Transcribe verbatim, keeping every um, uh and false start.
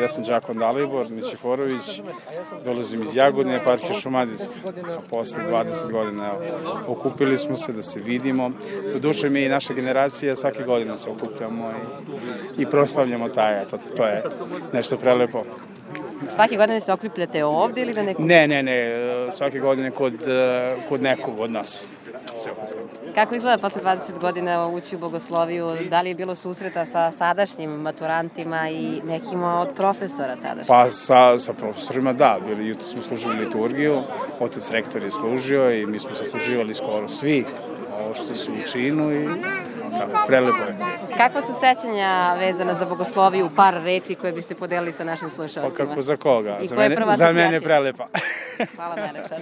ja sam Đakon Dalibor Nićiforović, dolazim iz Jagodine, eparhija Šumadijska. Posle dvadeset godina evo, okupili smo se da se vidimo. Do duše mi i naša generacija svake godine se okupljamo i, i proslavljamo taj, eto, to je nešto prelepo. Svake godine se okupljate ovde ili na nekom? Ne, ne, ne, svake godine kod, kod nekog od nas se okupljamo. Kako izgleda posle dvadeset godina ući u bogosloviju? Da li je bilo susreta sa sadašnjim maturantima i nekima od profesora tadašnjih? Pa sa, sa profesorima da, bili, jutro smo služili liturgiju, otac rektor je služio i mi smo se služivali skoro svi, ovo što su u činu i tako, prelepo je. Kakva su sećanja vezana za bogosloviju, par reči koje biste podelili sa našim slušalcima? Pa kako za koga? I za koja je mene, prva za mene asocijacija? prelepa. Hvala najlepše.